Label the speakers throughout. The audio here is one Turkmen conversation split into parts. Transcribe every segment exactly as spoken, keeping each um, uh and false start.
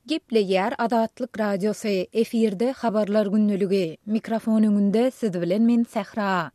Speaker 1: Gepleýär Azatlyk Radiosy, efirde Habarlar gündeligi. Mikrofon öňünde siz bilen men Sähra.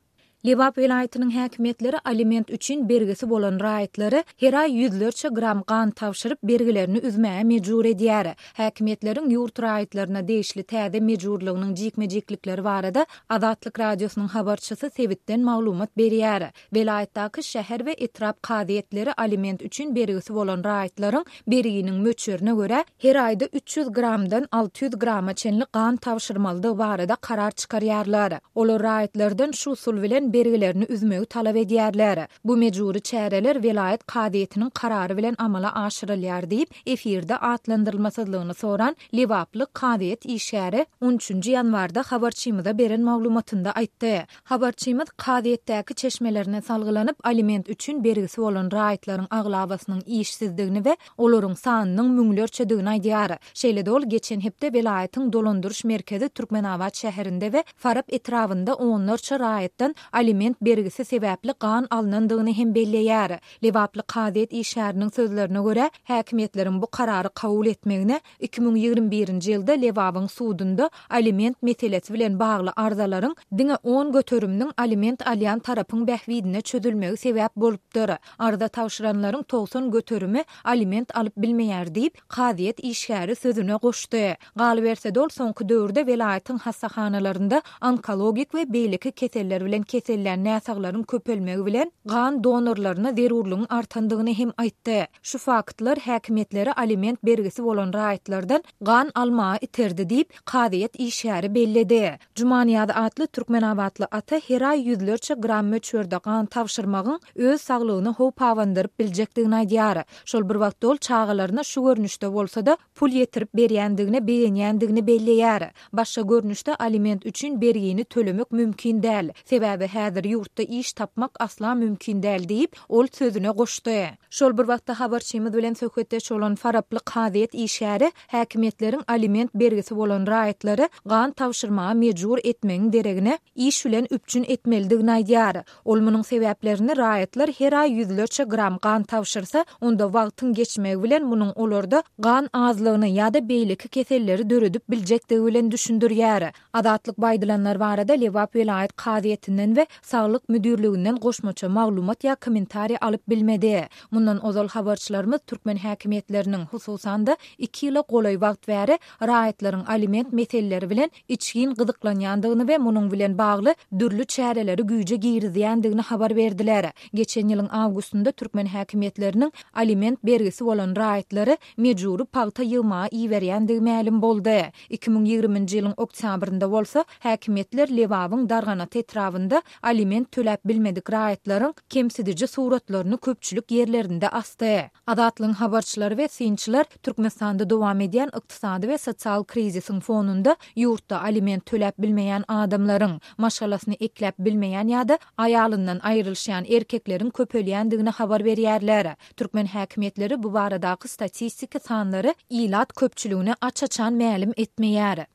Speaker 1: Lebap welaýatynyň häkimiýetleri aliment üçin bergisi bolan raýatlary her aý ýüzlerçe gram gan tabşyryp, bergilerini üzmäge mejbur edýär. Häkimiýetleriň ýurt raýatlaryna degişli täze mejburlygynyň jikme-jiklikleri barada Azatlyk Radiosynyň habarçysy sebitden maglumat berýär. Welaýatdaky şäher we etrap kazyýetleri aliment üçin bergisi bolan raýatlaryň berginiň möçberine görä her aýda üç ýüz gramdan alty ýüz grama çenli gan tabşyrmalydygy barada karar çykarýarlar. Olar raýatlardan şu usul bilen bergilerini üzmegi talap edýärler. Bu mejbury çäreler welaýat kazyýetiniň karary bilen amala aşyrylýar diýip, efirde atlandyrylmasyzlygyny soran lebaply kazyýet işgäri on üçünji ýanwarda habarçymyza beren maglumatynda aýtdy. Habarçymyz kazyýetdäki çeşmelerine salgylanyp, aliment üçin bergisi bolan raýatlaryň aglabasynyň işsizdigini we olaryň sanynyň müňlerçedigini aýdýar. Şeýle-de ol geçen hepde welaýatyň dolandyryş merkezi Türkmenabat şäherinde we Farap etrabynda onlarça raýatdan aliment bergisi sebäpli gan alnandygyny hem belleýär. Lebaply kazyýet işgäriniň sözlerine görä, häkimiýetleriň bu karary kabul etmegine iki müň ýigrimi birinji ýylda Lebabyň sudunda aliment meselesi bilen bagly arzalaryň diňe on göteriminiň aliment alýan tarapyň bähbidine çözülmegi sebäp bolupdyr. Arza tabşyranlaryň togsan göterimi aliment alyp bilmeýär diýip, kazyýet işgäri sözüne goşdy. Galyberse-de ol soňky döwürde welaýatyň hassahanalarynda onkologik we beýleki keseller bilen kesellän näsaglaryň köpelmegi bilen gan donorlaryna zerurlygyň artandygyny hem aýtdy. Şu faktlar häkimiýetleri aliment bergisi bolan raýatlardan gan almaga iterdi diýip, kazyýet işgäri belledi. Jumanyýaz atly Türkmenabatly ata her aý ýüzlerçe gram möçberde gan tabşyrmagyň öz saglygyny howp abandyryp biljekdigini aýdýar. Şol bir wagtda ol çagalaryna şu görnüşde bolsa-da pul ýetirip berýändigine begenýändigini belleýär. Başga görnüşde aliment üçin bergini tölemek mümkin däl. Sebäbi häzir ýurtda iş tapmak asla mümkin däl diýip, ol sözüne goşdy. Şol bir wagtda habarçymyz bilen söhbetdeş bolan Faraply kazyýet işgäri häkimiýetleriň aliment bergisi bolan raýatlary gan tabşyrmaga mejbur etmegiň deregine iş bilen üpjün etmelidigini aýdýar. Ol munuň sebäplerini raýatlar her aý ýüzlerçe gram gan tabşyrsa, onda wagtyň geçmegi bilen munuň olarda gan azlygyny ýa-da beýleki keselleri döredip biljekdigi bilen düşündirýär. Azatlyk baýdylanlar barada Lebap welaýat kazyýetinden we Saglyk müdirliginden goşmaça maglumat ýa kommentariýa alyp bilmedi. Mundan ozal habarçylarymyz türkmen häkimiýetleriniň, hususan-da iki ýyla golaý wagt bäri raýatlaryň aliment meseleleri bilen içgin gyzyklanýandygyny we munuň bilen bagly dürli çäreleri güýje girizýändigini habar berdiler. Geçen ýylyň awgustynda türkmen häkimiýetleriniň aliment bergisi bolan raýatlary mejbury pagta ýygmaga iberýändigi mälim boldy. Iki müň ýigriminji ýylyň oktýabrynda bolsa häkimiýetler Lebabyň Darganat etrabynda aliment töläp bilmedik raýatlaryň kemsidiji suratlaryny köpçülik ýerlerinde asdy. Azatlygyň habarçylary we synçylar Türkmenistanda dowam edýän ykdysady we sosial krizisiň fonunda ýurtda aliment töläp bilmeýän adamlaryň, maşgalasyny ekläp bilmeýän ýa-da aýalyndan aýrylyşýan erkekleriň köpelýändigini habar berýärler. Türkmen häkimiýetleri bu baradaky statistiki sanlary ilat köpçüligine aç-açan mälim etmeýär.